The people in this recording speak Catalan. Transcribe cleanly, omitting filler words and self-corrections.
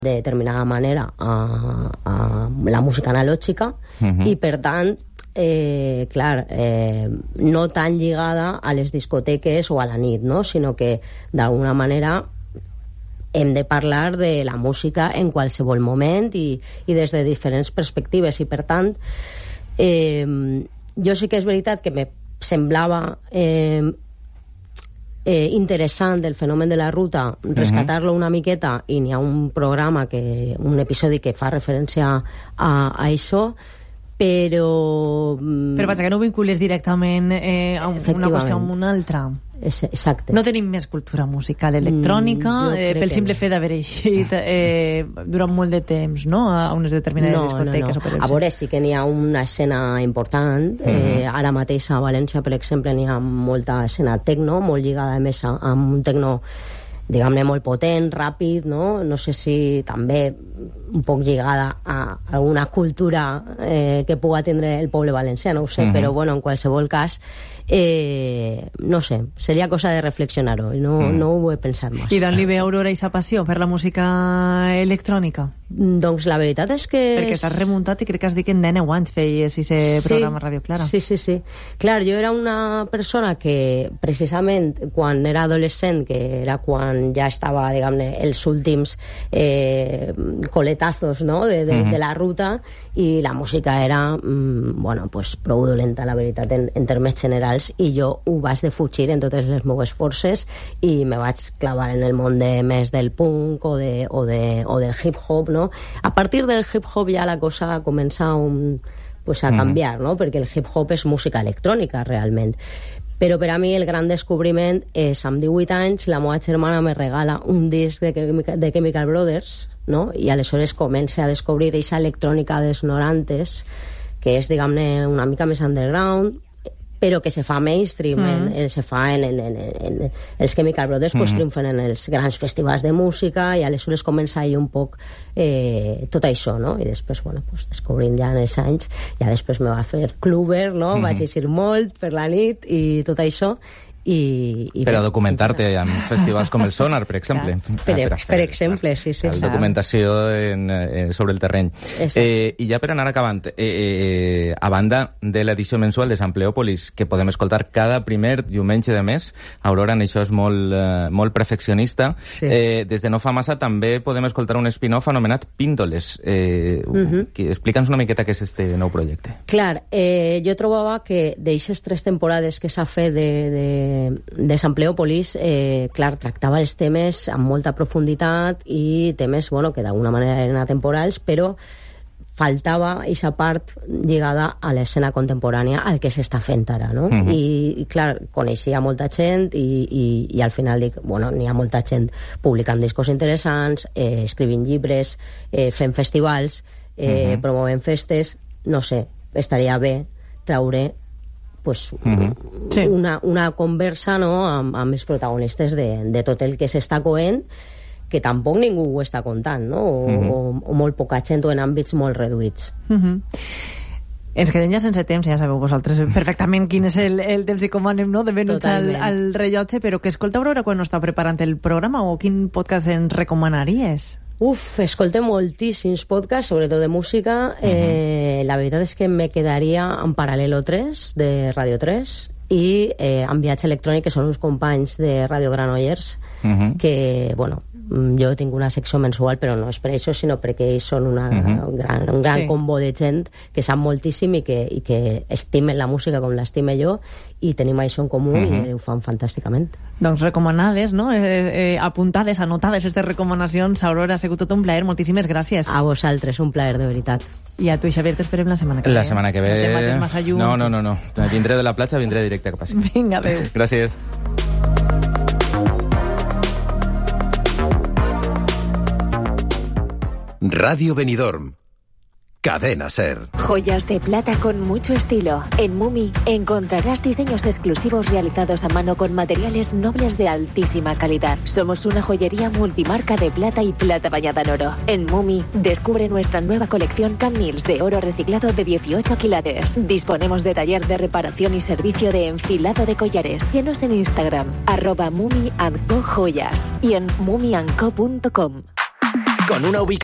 de determinada manera a la música analògica i, per tant, no tan lligada a les discoteques o a la nit, no? Sinó que, d'alguna manera, hem de parlar de la música en qualsevol moment i des de diferents perspectives. I, per tant, jo sí que és veritat que me semblava interessant el fenomen de la ruta, rescatar-lo una miqueta, i n'hi ha un programa, un episodi que fa referència a això, però vaja, que no vincules directament una qüestió amb una altra. Exacte. No tenim més cultura musical electrònica pel simple fet d'haver eixit durant molt de temps, no?, a unes determinades discoteques. A veure, sí que n'hi ha una escena important. Ara mateix a València, per exemple, n'hi ha molta escena tecno, molt lligada a més amb un tecno, diguem-ne, molt potent, ràpid, no? No sé si també un poc lligada a alguna cultura que pugui tindre el poble valencià, no ho sé, però bueno, en qualsevol cas, no sé, seria cosa de reflexionar-ho, no ho he pensat massa. I d'on li ve Aurora i sa passió per la música electrònica? Doncs la veritat és que... Perquè t'has remuntat i crec que has dit que en 9 anys feies aquest programa a Ràdio Clara. Sí. Clar, jo era una persona que precisament quan era adolescent, que era quan ja estava, diguem-ne, els últims coletazos, no?, de la ruta, i la música era bueno, pues prou dolenta, la veritat, en termes generals, i jo ho vaig defugir en totes les meves forces i me vaig clavar en el món més del punk o del hip-hop, no? A partir del hip-hop ja la cosa comença a canviar, no? Perquè el hip-hop és música electrònica, realment. Però per a mi el gran descobriment és, amb 18 anys, la meva germana me regala un disc de Chemical Brothers, no? I aleshores comença a descobrir aquesta electrònica dels 90s, que és, diguem-ne, una mica més underground, però que se fa mainstream, se fa en els Chemical Brothers, pues triomfen en els grans festivals de música, i aleshores comença ahir un poc tot això, no? I després, bueno, pues descobrint ja en els anys, ja després me va fer cluber, no? Vaig eixir molt per la nit i tot això, per a documentar-te en festivals com el Sonar, per exemple. Per exemple, sí. La documentació sobre el terreny. I ja per anar acabant, a banda de l'edició mensual de Sampleòpolis, que podem escoltar cada primer diumenge de mes, Aurora en això és molt perfeccionista, des de no fa massa també podem escoltar un spin-off anomenat Píndoles. Explica'ns una miqueta què és este nou projecte. Clar, jo trobava que d'eixes 3 temporades que s'ha fet de Sampleòpolis, clar, tractava els temes amb molta profunditat i temes, bueno, que d'alguna manera eren atemporals, però faltava aquesta part lligada a l'escena contemporània, al que s'està fent ara, no? I clar, coneixia molta gent i al final dic, bueno, n'hi ha molta gent publicant discos interessants, escrivint llibres, fent festivals, promovent festes, no sé, estaria bé traure pues, una conversa, no?, amb els protagonistes de tot el que s'està coent, que tampoc ningú ho està contant, no? O molt poca gent, o en àmbits molt reduïts. Ens quedem ja sense temps, ja sabeu vosaltres perfectament quin és el temps i com anem, no?, de venuts al rellotge, però que escolta Aurora quan no està preparant el programa, o quin podcast ens recomanaries? Escolto moltíssims podcasts, sobretot de música. La veritat és que me quedaria en Paral·lelo 3, de Radio 3, i en Viatge Electrònic, que són uns companys de Radio Granollers, que, bueno, jo tinc una secció mensual, però no és per això, sinó perquè ells són un gran combo de gent que sap moltíssim i que estimen la música com l'estime jo, i tenim això en comú i ho fan fantàsticament. Doncs recomanades, no? Apuntades, anotades aquestes recomanacions. Aurora, ha sigut tot un plaer, moltíssimes gràcies. A vosaltres, un plaer, de veritat. I a tu, Xavier, t'esperem la setmana que ve. La setmana que ve... No. Vindré de la platja, vindré directe cap a ací. Vinga, adéu. Gràcies. Radio Benidorm. Cadena SER. Joyas de plata con mucho estilo. En Mumi encontrarás diseños exclusivos realizados a mano con materiales nobles de altísima calidad. Somos una joyería multimarca de plata y plata bañada en oro. En Mumi descubre nuestra nueva colección Camils de oro reciclado de 18 quilates. Disponemos de taller de reparación y servicio de enfilado de collares. Síguenos en Instagram @Mumi&Co Joyas y en mumiandco.com. con una ubicación